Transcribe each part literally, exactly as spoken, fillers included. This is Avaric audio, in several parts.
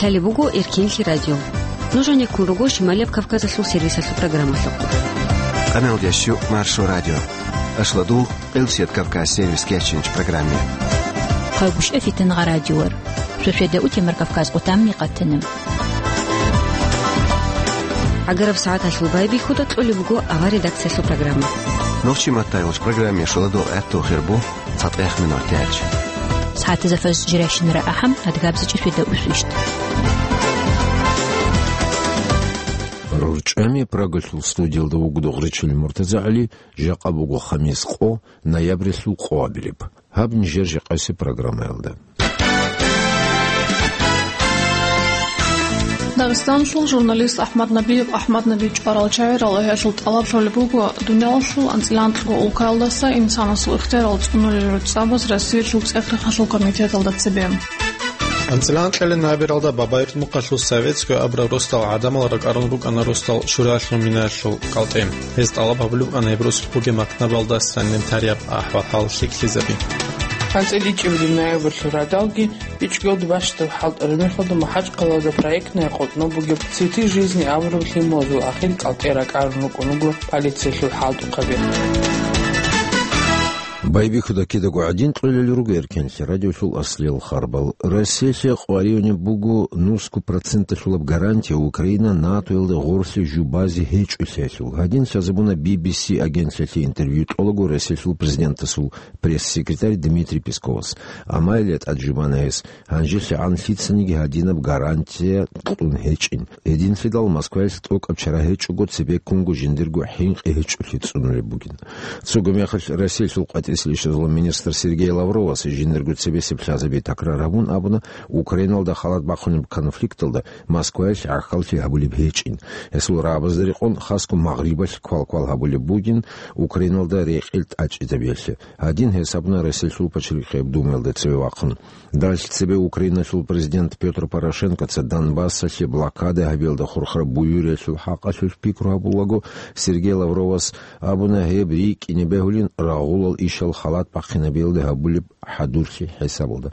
Гьале буго Эркенлъи радио. Нуж гьанеккун руго Шималияб Кавказалъул сервисалъул программалъухъ. Къамел ящу Маршо радио. Ашладул, Къилсият Кавказ сервис кечинч программе. Хъайгъушъа фитангъа радиор. Шошеда утемар Кавказ къутамни къатана. Агараб сагӀаталъул байбихьуда кьолеб буго авар редакциялъул программа. Нохчи маттайгъуч программе шуладул гӀатту хирбу. ЦатӀех минутач. СагӀатазда фаз жирайщинара ахӀам, адгабзичӀеб фида усвищ. РорчӀами Прагалъул студиялда вугода Гъречил МуртазагӀали, жакъа буго хамис къо, ноябрилъул къоабилеб. Гьаб нижер жакъаси программаялда. Дагъистаналъул журналист АхӀмад Набиев АхӀмад Наби чӀварал чагӀи ралагьиялъул тӀалаб лъолеб буго дуниялалъул анцӀила анкьго улкаялдаса инсанасул ихтиярал цӀунулел гӀуцӀабаз Россиялъул цӀех-рехалъул комитеталда цебе. АнцӀила анкьилел ноябралда Бабаев мухъалъул Советское абураб росдал гӀадамал ракӀарун рукӀана росдал шураялъул минаялъул кӀалтӀе. Гьез тӀалаб гьабулеб букӀана гьеб росулъ бугеб макнабалда сценарий тараб ахӀвал-хӀал лъикӀлъизаби. АнцӀила ичӀабилеб ноябралъул радалги ИчӀго бащдаб хӀалтӀараб мехалда МахӀачхъалада проектная къотӀноб бугеб «Цветы жизни» абураб лъималазул ахир кӀалтӀе ракӀарун рукӀун руго полициялъул хӀалтӀухъаби. Байбихьуда кидаго гӀадин кьолел руго Эркенлъи радиолъул аслиял харбал. Россиялъе къваригӀунеб буго нусго проценталъулаб гарантия Украина НАТОялда гъорлъе жубазе гьечӀолъиялъул. Гьадин лъазабуна Би Би Си агентлъиялъе интервью кьолаго Россиялъул президентасул пресс-секретарь Дмитрий Песковас. Амма гьеле тӀад жубана гьес. ГьанжелъагӀан лъицаниги гьадинаб гарантия кьун гьечӀин. Гьединлъидал Москваялъ тӀокӀаб чара гьечӀого цебеккунго жиндирго хӀинкъи гьечӀолъи цӀунулеб бугин. Цого мехалъ Россиялъул къватӀисел ишазул министр Сергей Лавровас жиндирго цебесеб лъазаби такрар гьабун абуна, Украиналда халат бахъунеб конфликталда Москваялъ гӀахьаллъи гьабулеб гьечӀин. Гьесул рагӀабазда рекъон хасго Магърибалъ квалквал гьабулеб бугин Украиналда рекъел тӀачӀизабиялъе. Гьадин гьес абуна Россиялъул Пачалихъияб Думаялда цеве вахъун. Далъ цебе Украиналъул президент Петр Порошенкоца Донбассалъе блокада гьабиялда хурхараб буюриялъул хӀакъалъулъ пикру гьабулаго, Сергей Лавровас абуна, гьеб рикӀкӀине бегьулин рагъулал ишал халат бахъинабиялда гьабулеб хӀадурлъи хӀисабалда.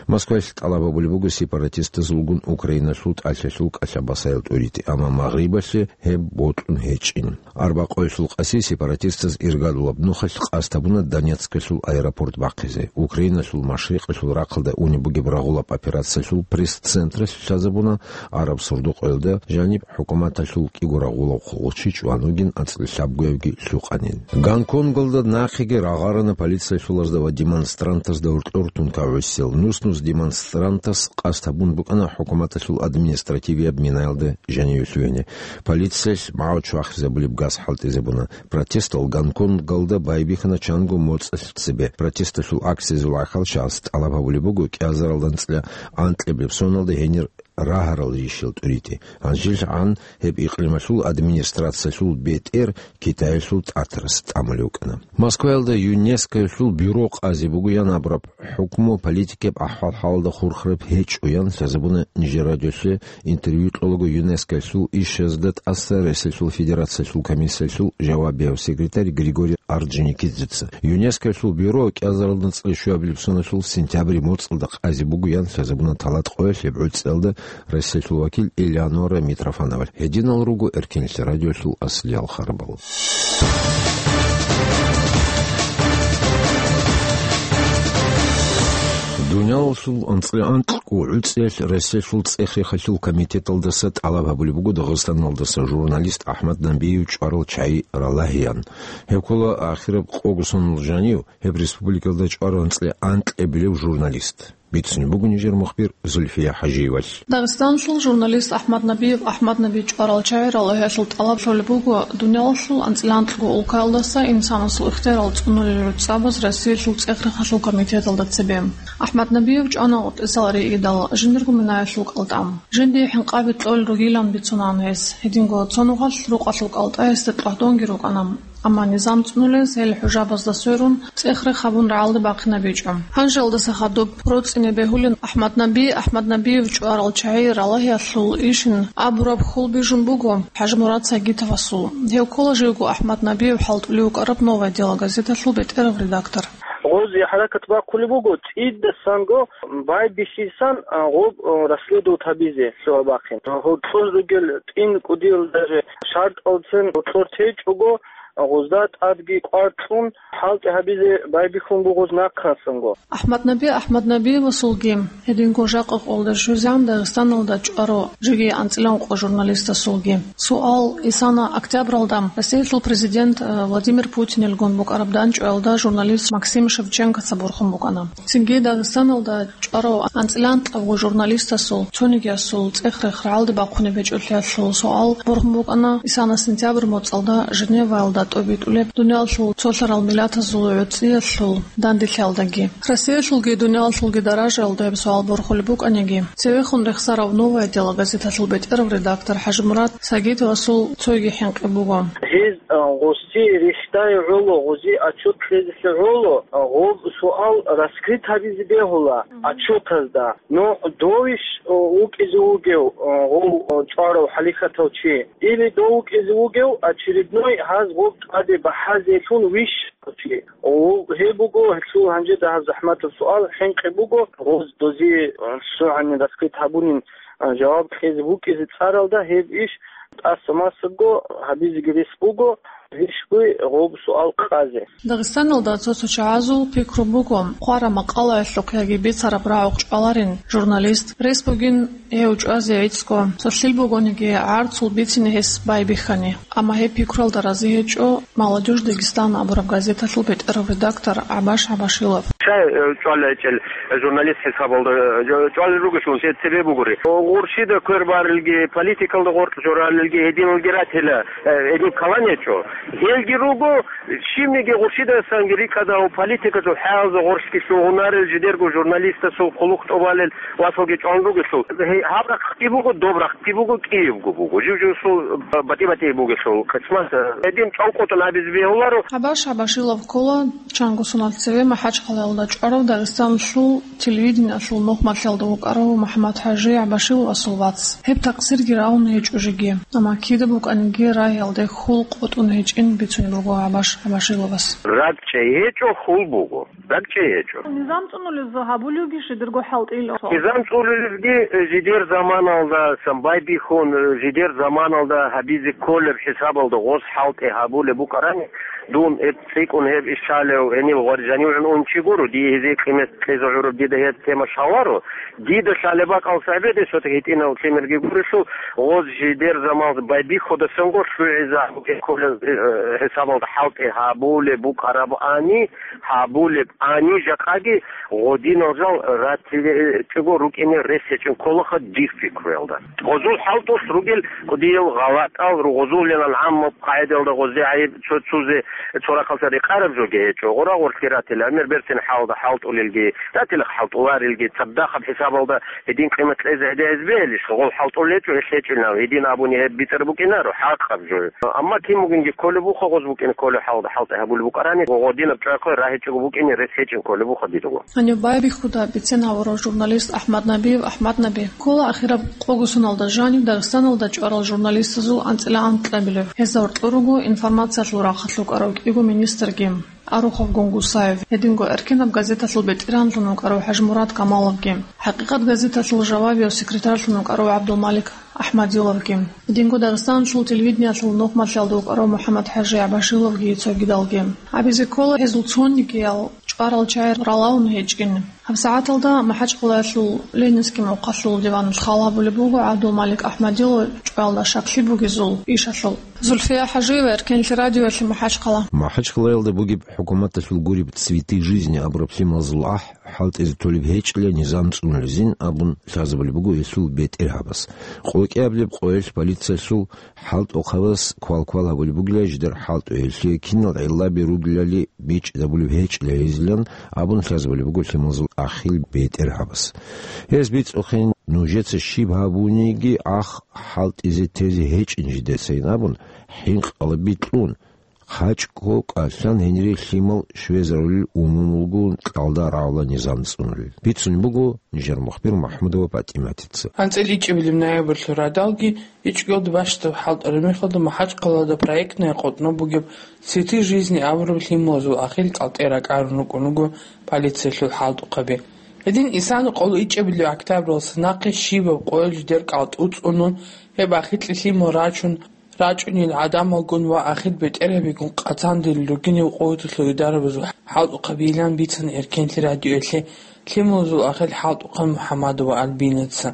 Москвалъ тӀалаб гьабулеб буго сепаратистазулгун Украиналъул тӀалъалъул кӀалъа-басаял тӀуритӀи, амма Магърибалъе гьеб бокьун гьечӀин. Арбакъоялъул къаси сепаратистаз иргадулаб нухалъ къасд гьабуна Донецкалъул аэропорт бахъизе. Украиналъул машрикъалъул рахъалда унеб бугеб рагъулаб операциялъул пресс-централъ лъазабуна араб сордо-къоялда жаниб хӀукуматалъул кӀиго рагъулав хъулухъчи чӀван вугин ацӀкӀи лъабгоябги лъукъанин. Гонконгалда нахъеги рагъарана полициялъулазда ва демонстрантазда гьоркьор тункагӀусел. Нус-нус демонстрантас къасд гьабун букӀана хӀукуматалъул административияб минаялда жаниве лъугьине. Полициялъ магӀу чвахизабулеб газ хӀалтӀизабуна. Протестал Гонконгалда байбихьана чанго моцӀалъ цебе. Протесталъул акциязул гӀахьалчагӀаз тӀалаб гьабулеб буго кӀиазаралда анцӀила анкьабилеб соналда гьенир рагьарал ришал тӀуритӀи. ГьанжелъагӀан гьеб икълималъул администрациялъул бетӀер Китаялъул тӀатарас тӀамулев вукӀана. Москваялда ЮНЕСКОялъул бюро къазе бугоян абураб хӀукму политикияб ахӀвал-хӀалалда хурхараб гьечӀоян лъазабуна нижер радиолъе интервью кьолаго ЮНЕСКОялъул ишазда тӀаса Россиялъул Федерациялъул комиссиялъул жавабияв секретарь Григорий Орджоникидзеца. ЮНЕСКОялъул бюро кӀиазаралда анцӀила щуабилеб соналъул сентябрь моцӀалда къазе бугоян лъазабуна талат къоялъ гьеб гӀуцӀиялда Россиялъул вакил Элеонора Митрофановалъ. Гьединал руго Эркенлъи радиолъул аслиял харбал. Дуниялалъул анцӀила анкьго гӀуцӀиялъ Россиялъул цӀех-рехалъул комитеталдаса тӀалаб гьабулеб буго Дагъистаналдаса журналист АхӀмад Набиев чӀварал чагӀи ралагьеян. Гьеб ккола ахираб къого соналъул жанив гьеб республикалда чӀварал анцӀила анкьабилев журналист. Бицунеб буго нижер мухбир Зульфия ХӀажиевалъ. Дагъистаналъул журналист АхӀмад Набиев АхӀмад Наби чӀварал чагӀи ралагьиялъул тӀалаб лъолеб буго дуниялалъул анцӀила анкьго улкаялдаса инсанасул ихтиярал цӀунулел гӀуцӀабаз Россиялъул цӀех-рехалъул комитеталда цебе. АхӀмад Набиев чӀвана гъоркьисал ригӀидал жиндирго минаялъул кӀалтӀа. Жиндие хӀинкъаби кьолел ругилан бицунаан гьес. Гьединго цо нухалъ рукъалъул кӀалтӀа гьесда тӀогьдонги рукӀана. Амма низам цӀунулез гьел хӀужабазда сверун, цӀех-рех гьабун рагӀалде бахъинабичӀо. Гьанжелдаса хадуб роцӀине бегьулин АхӀмад Наби, АхӀмад Набиев чӀварал чагӀи ралагьиялъул ишин абураб хьул бижун буго ХӀажимурад Сагитовасул. Гьев ккола живго АхӀмад Набиев хӀалтӀулев вукӀараб «Новое дело» газеталъул бетӀерав редактор. Гъоз Гьаракат бахъулеб буго цӀидасанго байбихьисан, а, гъоб, а, расследовать гьабизе лъугьа-бахъин. Гьоркьор ругел тӀин кӀудиял даже шартӀалцин гьоркьор течӀого, а, гъозда тӀадги кӀвар кьун, хӀалтӀи гьабизе байбихьун буго нахъасанго. Ахмад Наби Ахмад Набиевасулги, гьединго жакъа къолда жузан Дагъистаналда чӀварав жеги анцӀила ункъо журналистасулги. Суал: Исана октябралда Россиялъул президент, э, Владимир Путинилгун букӀараб данчӀваялда журналист Максим Шевченкоца борхун букӀана. Цинги Дагъистаналда чӀварав анцӀила анкьабго журналистасул цонигиясул цӀех-рех рагӀалде бахъунеб гьечӀолъиялъул суал борхун букӀана Исана сентябрь моцӀалда Женеваялда тӀобитӀулеб дуниялалъул цолъарал миллатазул гӀуцӀиялъул данделъиялдаги. Россиялъулги дуниялалъулги даражаялда гьеб суал борхулеб букӀаниги, цевехун рехсарав «Новое дело» газеталъул бетӀерав редактор ХӀажимурад Сагитовасул цойги хӀинкъи буго. Гьез, а, гъоси рихьдай гӀоло, гъози отчет кьезелъе гӀоло, а, гъоб суал раскрыть гьабизе бегьула отчетазда. Но довищ, а, вукӀизе вугев, а, гъов, а, чӀварав хӀалихьатав чи? Или дов вукӀизе вугев очередной гьаз гъоб тӀаде бахӀазелъун вищ чи? О, гьеб буго, гьелъул гьанже дагьаб захӀматаб суал, хӀинкъи буго, гъоз дозе, а, лъугӀанин раскрыть гьабунин, а, жаваб кьезе вукӀизе цӀаралда гьеб иш тӀаса-масабго гьабизеги рес буго, гьищ буй гъоб суал къазе. Дагъистаналда цо-цо чагӀазул пикру буго, хъвараб макъалаялъухъ яги бицараб рагӀухъ чӀваларин журналист, рес бугин гьев чӀвазе гӀицӀго, цолъил бугониги гӀарцул бицине гьес байбихьани. Амма гьеб пикруялда рази гьечӀо «Молодёжь Дагестана» абураб газеталъул бетӀерав редактор ГӀабаш ГӀабашилов. Щай, э, чӀвалел гьечӀел журналист хӀисабалда, э, чӀвалел ругелъул, гьеб цебе бугури. Гъурщида квер барилги, политикалда гъоркь жоралилги, гьединалги ратила, э, гьедин калан гьечӀо. Гьелги руго, щибниги гъурщидасанги рикӀкӀадав политикалъул хӀалалза гъоркьги лъугьунарел жидерго журналистасул хъулухъ тӀубалел васалги чӀван ругелъул. Гьей, гьаб рахъги буго, доб рахъги буго, кӀиябго буго. Жив-живсул батӀи-батӀи бугелъул къисмат, гьедин чӀван къотӀун абизе бегьуларо. ГӀабаш ГӀабашилов ккола чанго соналъ цеве МахӀачхъалаялда чӀварав Дагъистаналъул телевидениялъул нухмалъиялда вукӀарав МухӀаммад-ХӀажи ГӀабашиловасул вац. Гьеб такъсирги равун гьечӀо жеги. Амма кида букӀаниги рагьиялде хьул къотӀун гьечӀин бицунеб буго ГӀабаш ГӀабашиловас. РакӀчӀей гьечӀо, хьул буго. РакӀчӀей гьечӀо. Низам цӀунулезул гьабулевги жидерго хӀалтӀил. Низам цӀунулезги, э, жидер заманалда, сам байбихьун, э, жидер заманалда гьабизе кколеб хӀисабалда гъос хӀалтӀи гьабулеб букӀарани, дун гьеб цӀикӀкӀун гьеб иш лъалев гьенив гъвар жанивгӀун ун чи гуро, дие гьезие къимат кьезе гӀураб дида гьеб тема лъаларо. Дида лъалеб бакӀал цебеде сотӀи гьитӀинав лъимерги гурелъул, гъоз жидер заман байбихьудасанго лъугӀизабуге кколел, э, хӀисабалда хӀалтӀи гьабулеб букӀарабани, гьабулеб ани жакъаги гъодинал жал ратилечӀого рукӀине рес гьечӀин кколаха дир пикруялда. Гъозул хӀалтӀулъ ругел кӀудиял гъалатӀал, гъозулилан гӀаммаб къагӀидалда гъозде гӀайиб цо-, цузе цо рахъалъа рекъараб жоги гьечӀо. Гъора-гъорлъги ратила, гӀемер берцин хӀалда хӀалтӀулелги, ратила хӀалтӀуларелги, цадахъаб хӀисабалда гьедин къимат кьезе гьедигӀиз бегьилищ, гъол хӀалтӀул гьечӀо, гьелъ гьечӀинав, гьедин абуни гьеб бицӀар букӀинаро, хӀакъаб жо. Амма кин бугинги кколеб буха, гъоз букӀин кколеб хӀалда хӀалтӀи гьабулеб букӀарани, гъодинаб чӀвайхъой рагьичӀого букӀине рес гьечӀин кколеб буха дидего. Гьаниб байбихьуда бицен гьавурав журналист Ахмад Набиев Ахмад Наби. Ккола ахираб къого соналда жанив Дагъистаналда чӀварал журналистазул анцӀила анкьабилев. Гьез гьоркьор руго информациялъул рахъалъ вукӀарав кӀиго министрги, Арухов Гунгусаев, гьединго «Эркенаб» газеталъул бетӀергьанлъун вукӀарав ХӀажимурад Камаловги, «ХӀакъикъат» газеталъул жавабияв секретарьлъун вукӀарав ГӀабдулмалик Ахмадиловги, гьединго Дагъистаналъул телевидениялъул нухмалъиялда вукӀарав МухӀаммад-ХӀажи ГӀабашиловги цогидалги. Абизе ккола, гьезул цонигиял чӀварал чагӀи ралаун гьечӀин. ГьабсагӀаталда МахӀачхъалаялъул Ленинский мухъалъул диван хал гьабулеб буго ГӀабдулмалик Ахмадилов чӀваялда щаклъи бугезул ишалъул. Зульфия ХӀажиева, Эркенлъи радиоялъе, МахӀачхъала. МахӀачхъалаялда бугеб хӀукуматалъул гуреб «Цветы жизни» абураб лъималазул ахӀ хӀалтӀизе толеб гьечӀила низам цӀунулезин абун лъазабулеб буго гьелъул бетӀергьабас. Къо кӀиаблеб къоялъ полициялъул хӀалтӀухъабаз квал-квал гьабулеб бугила жидер хӀалтӀу гьелъие кинал гӀиллаби ругелали бичӀчӀизабулеб гьечӀила гьезилан абун лъазабулеб буго лъималазул ахил бетӀергьабас. Гьез бицӀухъин, нужеца щиб гьабуниги ахӀ хӀалтӀизе тезе гьечӀин жидецайин абун, хӀинкъалаби кьун, ХъачӀго кӀалъан гьенире лъимал щвезарулел умумулго кьалда рагӀула низам цӀунулел. Бицун буго нижер мухбир МахӀмудова ПатӀиматица. АнцӀила ичӀабилеб ноябрьлъул радалги ичӀгоялда бащдаб хӀалтӀараб мехалда МахӀачхъалада проектная къотӀноб бугеб «Цветы жизни» абураб лъималазул ахир кӀалтӀе ракӀарун рукӀун руго полициялъул хӀалтӀухъаби. Гьедин исана къоло ичӀабилеб октябралдаса нахъе щибаб къоялъ жидер кӀалтӀу цӀунун, гьеб ахикье лъимал рачун, рачӀунел гӀадамалгун ва ахир бетӀергьабигун къацандерил ругинав къоялъул идарабазул хӀалтӀухъабийилан бицана Эркенлъи радиоялъе лъималазул ахир хӀалтӀухъан МухӀамадова Альбинаца.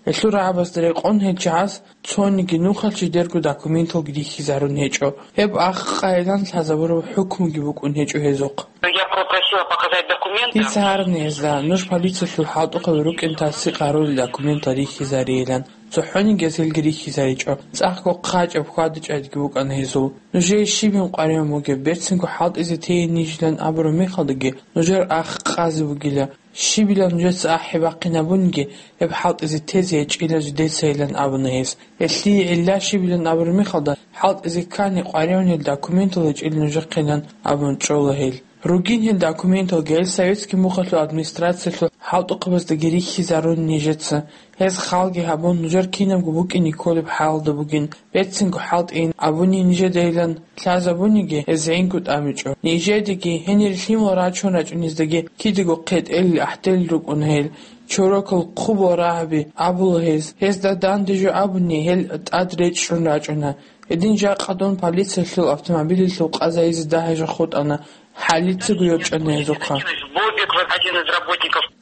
Гьелъул рагӀабазда рекъон гьел чагӀаз цониги нухалъ жидерго документалги рихьизарун гьечӀо. Гьеб ахъ къайилан лъазабураб хӀукмуги букӀун гьечӀо гьезухъ. Я попросила показать документы. Дица гьарни гьезда, нуж полициялъул хӀалтӀухъаби рукӀин тасдикъ гьарулел документал рихьизарейилан. ЦохӀониги гьез гьелги рихьизаричӀо. ЦӀакъго хъачӀаб хьвада-чӀвадиги букӀана гьезул. Нужее щибин къваригӀун бугеб, берцинго хӀалтӀизе тейин нижилан абураб мехалдаги, нужер ахъ къазе бугила. Щибилан нужеца ахӀи бахъинабуниги, гьеб хӀалтӀизе тезе гьечӀила жидецайилан абуна гьес. Гьелъие гӀилла щибилан абураб мехалда, хӀалтӀизе ккани къваригӀунел документал гьечӀила нужехъилан абун чӀола гьел. Ругин гьел документалги, гьел советский мухъалъул администрациялъул хӀалтӀухъабаздаги рихьизарун нижеца. Гьез халги гьабун, нужер кинабго букӀине кколеб хӀалда бугин, берцинго хӀалтӀейин абуни нижедайилан лъазабуниги, гьез гӀинкӀу тӀамичӀо. Нижедеги, гьенир лъимал рачун рачӀунездаги кидаго хъетӀелил ахӀделел рукӀун гьел. Чорокал хъубал рагьаби абула гьез. Гьезда данде жо абуни, гьел тӀад речӀчӀун рачӀуна. Гьедин жакъа дун полициялъул автомобилялъул къазайизе дагьа жо хутӀана. ХӀалицаго йорчӀана гьезухъа.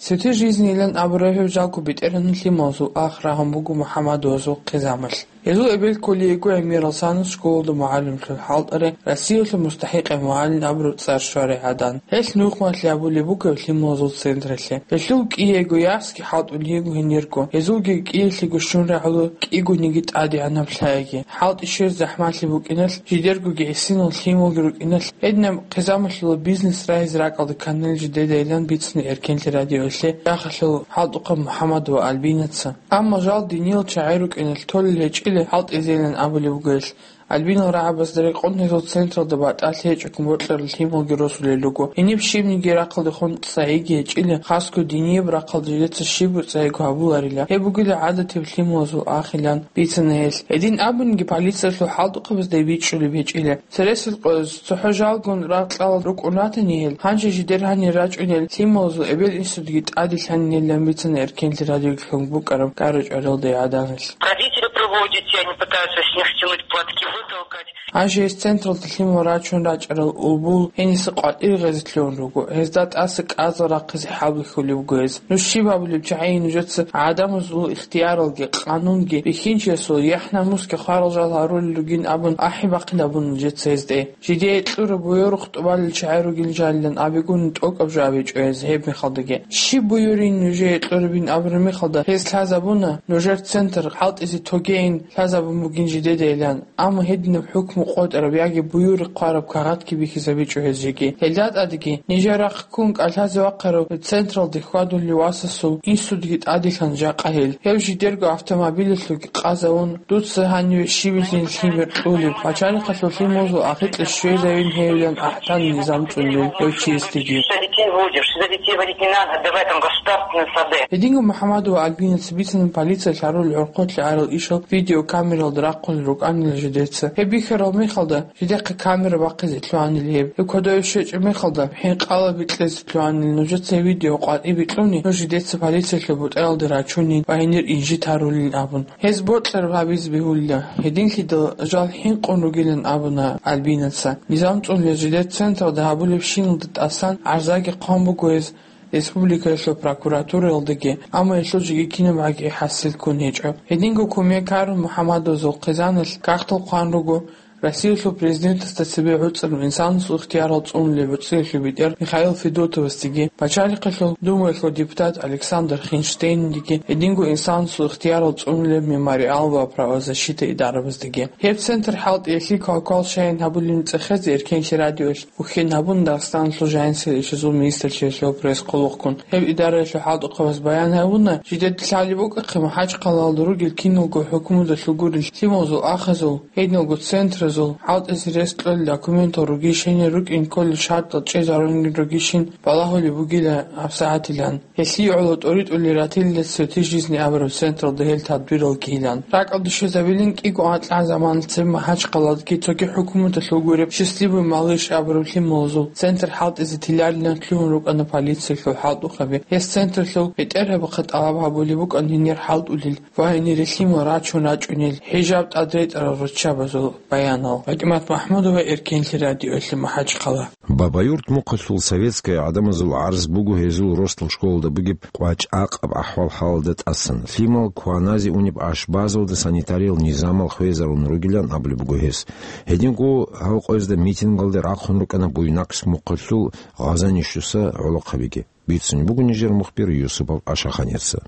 Цветы жизни-илан абураб гьеб жалго бетӀергьанлъи мавзугӀ ахъ рагьун буго МухӀаммадовазул хъизамалъ. Гьезул эбел кколей йиго гӀемерал санус школалда мугӀалимлъун хӀалтӀарай Россиялъул мустахӀикъай мугӀалим абураб цӀар щварай гӀадан. Гьелъ нухмалъи абулеб буго гьеб лъималазул централъе. Гьелъул кӀиего ясги хӀалтӀулей йиго гьенирго. Гьезулги кӀиялъего щун рагӀула кӀигониги тӀадегӀанаб лъаги. ХӀалтӀи щвез захӀмалъи букӀиналъ, жидергоги гӀисинал лъималги рукӀиналъ, гьединаб хъизамалъула бизнес рагьизе ракӀалда кканил жидедайилан бицина Эркенлъи радиоялъе Яхалъул хӀалтӀухъаб МухӀаммадова Альбинаца. Амма жал диниял чагӀи рукӀиналъ толел гьечӀила хӀалтӀизейилан абулеб буго гьелъ. Альбинал рагӀабазда рекъон гьезул централда батӀалъи гьечӀого бокьарал лъималги росулел руго. Гьениб щибниги рахъалдехун цӀайиги гьечӀила, хасго динияб рахъалда жидеца щибго цӀайиго гьабуларила. Гьеб бугила гӀадатиб лъималазул ахилан бицана гьелъ. Гьедин абуниги, полициялъул хӀалтӀухъабазда бичӀчӀулеб гьечӀила. Цересел къоялъ цохӀо жалгун рагъ кьалал рукӀун ратани гьел, гьанже жидер гьанир рачӀунел лъималазул эбел-инсудги тӀаде лъанинилан бицана Эркенлъи радиоялъ букӀараб ГӀарачӀваралда гӀаданалъ. Родители проводят, они пытаются с них стянуть платки, вытолкать. Гьанже гьес централда лъимал рачун рачӀарал улбул гьениса къватӀир гъезе лъугьун руго, гьезда тӀаса кӀазал рахъизе хӀалбихьулеб буго гьез. Нуж щиб гьабулеб чагӀи нужеца гӀадамазул ихтияралги, къанунги, бихьинчиясул яхӀ-намусги хварал жал гьарулел ругин абун ахӀи бахъин абун нужеца гьезде. Жидее кьураб буюрухъ тӀубалел чагӀи ругел жалилан абигун тӀокӀаб жо абичӀо гьез гьеб мехалдаги. Щиб буюрин нужее кьурабин абураб мехалда гьез лъазабуна, нужер центр хӀалтӀизе тогейин лъазабун бугин жидедайилан. Амма гьединаб хӀукму къотӀараб яги буюрихъ хъвараб кагъатги бихьизабичӀо гьез жеги. Гьелда тӀадеги, нижер рахъ ккун кӀалъазе вахъарав централде хьвадулев васасул инсудги тӀаделъан жакъа гьел. Гьев жидерго автомобилялъулги къазавун, дуца гьаниве щибилъин лъимер кьулеб, пачалихъалъулъ музул ахикье щвезавин гьевилан ахӀтан низам цӀунулел гьев чиясдеги. Что детей водишь, за детей водить не надо, отдавай там государственные сады. Гьединго МухӀаммадова Альбинаца бицана полициялъ гьарулел гӀорхъолъи гӀарал ишал видеокамералда рахъулел рукӀанила жидеца. Гьеб бихьарал мехалда, жидехъе камера бахъизе лъугьанил гьеб. Гьеб кодове щвечӀеб мехалда, хӀинкъала бикьезе лъугьанил нужеца гьеб видео къватӀибе кьуни, нуж жидеца полициялъул бутӀаялде рачунин ва гьенир инжит гьарулин абун. Гьез бокьараб гьабизе бегьулила, гьединлъидал жал хӀинкъун ругилан абуна Альбинаца. Низам цӀунулел жидер централда гьабулебщиналда тӀасан гӀарзаги хъван буго гьез республикаялъул прокуратураялдаги, амма гьелъул жеги кинабгӀаги хӀасил ккун гьечӀо. Гьединго кумек гьарун МухӀаммадовазул хъизаналъ кагътал хъван руго Россиялъул президентасда цебе гӀуцӀарав инсанасул ихтиярал цӀунулев ГӀуцӀиялъул бетӀер Михаил Федотовасдеги, Пачалихъалъул Думаялъул депутат Александр Хинштейндеги, гьединго инсанасул ихтиярал цӀунулев Мемориал ва правозащита идарабаздеги. Гьеб центр хӀалтӀиялъе квалквал щайин гьабулеб цӀехезе Эркенлъи радиоялъ ухьен гьабун, Дагъистаналъул жайнцӀил ишазул министрлъиялъул пресс-къуллукъгун. Гьеб идараялъул хӀалтӀухъабаз баян гьабуна, жидеда лъалеб букӀахъе МахӀачхъалаялда ругел киналго хӀукмудалъул гурел лъималазул ахазул, гьединалго центраз Зул хӀалтӀизе рес кьолел документал ругищин, рукӀин кколел шартӀал чӀезарун ругищин балагьулеб бугила гьабсагӀатилан. Гьелъие гӀоло тӀоритӀулел ратилила «Цветы жизни» абураб централда гьел тадбирал гилан. РакӀалде щвезабилин кӀиго анкьа заманалъ цебе МахӀачхъалаялдеги цоги хӀукуматалъул гуреб «Счастливый малыш» абураб лъималазул центр хӀалтӀизе тиларилан лъугьун рукӀана полициялъул хӀалтӀухъаби. Гьес центрлъул бетӀергьабухъе тӀалаб гьабулеб букӀана гьенир хӀалтӀулел ва гьенире лъимал рачун рачӀунел хӀижаб тӀадретӀарал руччабазул баянал. ПатӀимат МахӀмудова, Эркенлъи радиоялъе, МахӀачхъала. Бабаюрт мухъалъул советская гӀадамазул гӀарз буго гьезул росдал школалда бугеб къвачӀ-акъаб ахӀвал-хӀалалда тӀасан. Лъимал кваназе унеб ашбазалда санитариял низамал хвезарун ругилан абулеб буго гьес. Гьединго гьав къоязда митингалде рахъун рукӀана Буйнакск мухъалъул Гъазанищуса гӀолохъабиги. Бицунеб буго нижер мухбир Юсупов Ашаханеца.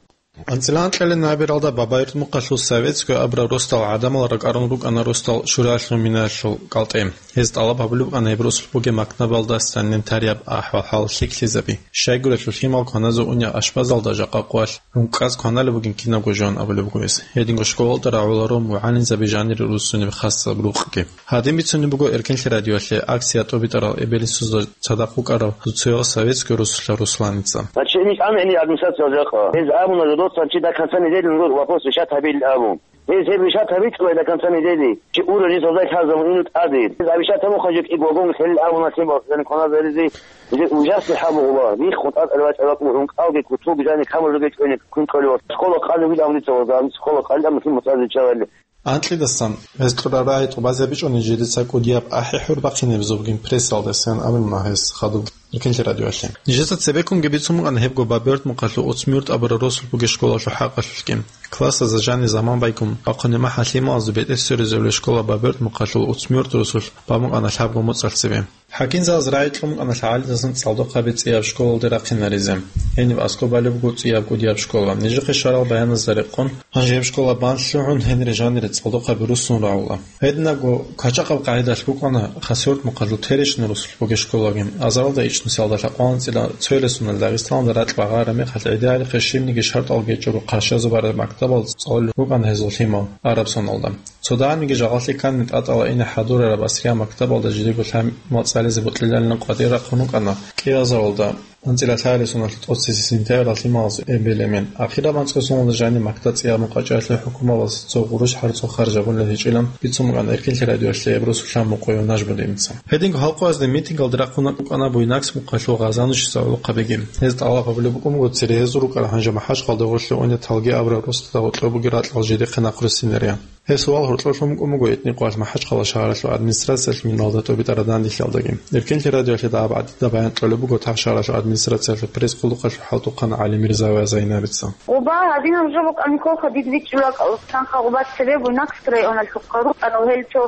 АнцӀила анкьалин набералда Бабаюрт мухъалъул советская абураб росдал гӀадамал ракӀарун рукӀана росдал шуралъул минаялъул кӀалтӀе. Гьез тӀалаб гьабулеб букӀана гьеб росулъ бугеб мактабалда санитарияб ахӀвал-хӀал лъикӀлъизаби. Щайгурелъул лъимал кваназе унеб ашбазалда жакъа къвалъ ункъаз кваналеб бугин кинабго жо абулеб буго гьес. Гьединго школалда рагӀуларо мугӀалимзаби жанире руссунеб хасаб рукъги. Гьадин бицунеб буго Эркенлъи радиоялъе акция тӀобитӀарал эбел-инсуда цадахъ вукӀарав цоцаялъ советская росулъа Русланица. Значит, гьениб ана гьениб администрациялда жакъа. Гьез абуна, жодоцан чи до конца недели нужно вопрос решать гьабилин абун. Гьез гьеб решать гьабичӀо до конца недели. Чи уро жи создай лъазабун ину тӀаде. Гьез абишат гьабун хъанжо кӀиго вагон хӀел абуна лъимал, яни кваназаризе. Гьезул ужасный хӀал буго, биххун тӀатӀал бачӀараб бакӀ, ункъалги кутулги жани камал ругел чӀвене квин кколев. Школа къалин вил абуница вазан, школа къалин амма лъимал цӀазе чӀалали. Анкьидасан гьез кьураб рагӀи тӀубазе бичӀчӀуни жидеца кӀудияб ахӀи-хӀур бахъинеб зобгин прессалдасан абуна гьес хадуб Эркенлъи радиоялъе. Нижеца цебеккунги бицун букӀана гьебго Бабаюрт мухъалъул Уцмиюрт абураб росулъ бугеб школалъул хӀакъалъулъги. Классазда жани заман байкун, бахъуни махӀа лъималазул бетӀер сверизабулеб школа Бабаюрт мухъалъул Уцмиюрт росулъ бан букӀана лъабго моцӀалъ цебе. ХӀакимзабаз рагӀи кьун букӀана лъагӀалидасан цӀалдохъаби цӀияб школалде рахъинаризе. Гьениб аскӀоб балеб буго цӀияб кӀудияб школа. Нижехъе щварал баяназда рекъон, гьанже гьеб школа бан лъугӀун, гьенире жанире цӀалдохъаби руссун рагӀула. Гьединабго квачӀахъаб къагӀидалъ букӀана Хасавюрт мухъалъул Теречный росулъ бугеб школаги. Азаралда ичӀнусиялда лъабкъоялда анцӀила цоял соналда Дагъистаналда ракь багъараб мехалъ гӀидиялихъе щибниги шартӀал гечӀого къаршазул бараб мактабалда цӀалулел рукӀана гьезул лъимал араб соналда. Цо дагьабниги жагъалъи ккани тӀатӀала ине хӀадурараб асрияб мактабалда жидего лъимал цӀализе бокьилалилан къватӀир рахъун рукӀана кӀиазаралда анцӀила лъабабилеб соналъ тӀоцебесеб сентябрьалъ лъималазул эбел-эмен. Ахираб анцӀго соналда жани мактаб цӀияб мукъачӀалъе хӀукуматалъ цо гъурущ гьарцӀул харж гьабулеб гьечӀилан бицун букӀана Эркенлъи радиоялъе гьеб росулъа Мукъояв Нажмудиница. Гьединго халкъалъазда митингалде рахъун букӀана Буйнакск мухъалъул Гъазанищуса гӀолохъабиги. Гьез тӀалаб гьабулеб букӀун буго цере гьезул рукӀарал гьанже МахӀачхъалда гъорлъе унел Талги абураб росдада гъоркьоб бугеб ракьал жидехъе нахъруссинарин. Гьес суал гьоркьоб лъун букӀун буго этни къвалъ МахӀачхъала шагьаралъул администрациялъ миналда тӀобитӀараб данделъиялдаги. Эркенлъи радиоялъе дагьаб гӀадида баян кьолеб буго та шагьаралъул администрациялъул пресс-къулухъалъул хӀалтӀухъан ГӀалимирза Вазаинаца. Къуба гьадинаб жо букӀана кколха дид бичӀчӀулеб кьалусан къагъубат цебе Буйнакск районалъухъа рукӀарал гьел цо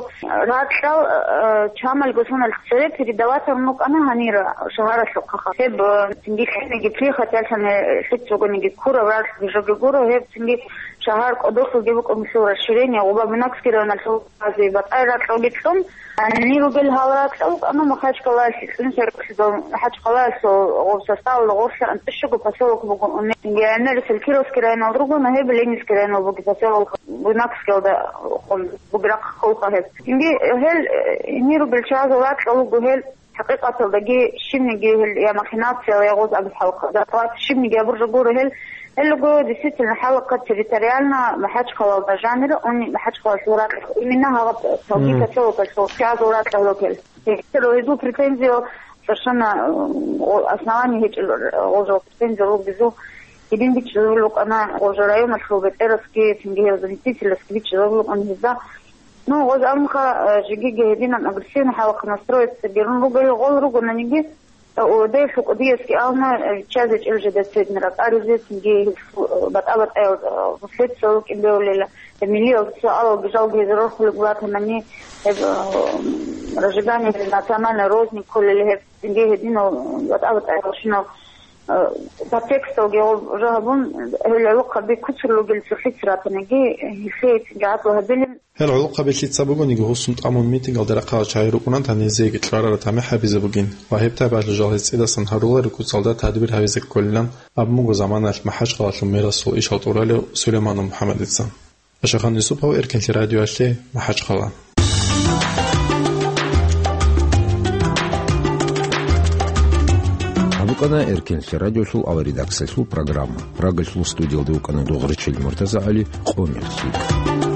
ракьал, э, чамалго соналъ цере передаватарун рукӀана гьанира шагьаралъухъаха. Гьеб, э, цинги лъималги прихваталъани лъицӀ ругониги ккураб ракьги жоги гуро, гьеб цинги шагьар кӀодолъулги букӀун лъул расширение, Къуба Буйнакский районалъул базе батӀай ракьалги кьун, гьанир ругел гьал ракьал, амма Махачкалаялъе кьун, Махачкалаялъул гъоб составалда гъорлъа анцӀишого поселок буго, гьанир Селькировский районал руго, но гьеб Ленинский районал буго, поселок Буйнакскиялда бугеб рахъ кколха гьеб. Цинги гьел, э, гьанир ругел чагӀазул ракьал руго гьел, ХӀакъикъаталдаги щибниги гьел я махинация, я гъоз абихӀалхъа, зарплата щибниги абуржа гуро гьел. Гьел руго, действительно, хӀалахъа территориально Махачкалалда жанира, уни Махачкалалъул ракьалъ, именно гьаб Талги поселокалъул чагӀазул ракьал ругел. Гьел гьезул претензиял совершенно, э, основание гьечӀел, гъожал претензиял ругезул. Гьедин бичӀчӀизабулеб букӀана гъожа районалъул бетӀерасги, цинги гьел заместителасги бичӀчӀизабулеб букӀана гьезда. Ну, гъоз амха, э, жигиги гьединан агрессивный хӀалахъ настроиться гьарун руго, гьел гъол ругонаниги, э, ОВД-ялъул кӀудиясги абуна, э, виччазе чӀел жеда цедни ракӀаризе, цинги гьел, э, батӀа-батӀаял, э, последствиял рукӀин бегьулела, э, миллиялда суалалги жалги гьезул рорхулеб батанани, гьеб, э, разжигание национальной розни кколел гьеб, цинги гьединал батӀа-батӀаял щинал, э, подтексталги гъоб жо гьабун, гьел гӀолохъаби куцун ругел цохӀо ратаниги, гьелъие цинги гӀадлу гьабилин. Гьел гӀолохъаби лъица бугониги гьусун тӀамун митингалда рахъарал чагӀи рукӀунан, гьанир гьезиеги кьарараб тамихӀ гьабизе бугин ва гьеб тайпалъул жал гьез цӀидасан гьаруларо куцалда тадбир гьабизе кколилан абун буго заманалъ МахӀачкъалалъул мэрасул ишал тӀуралев Сулейманов МухӀаммадица. Ашахан Юсупов, Эркенлъи радиоялъе, МахӀачкъала. Къана Эркенлъи радиолъул аваридаксалъул программа. Прагалъул студиялда вукӀана Дугъричил МуртазагӀали, къо мехлъи.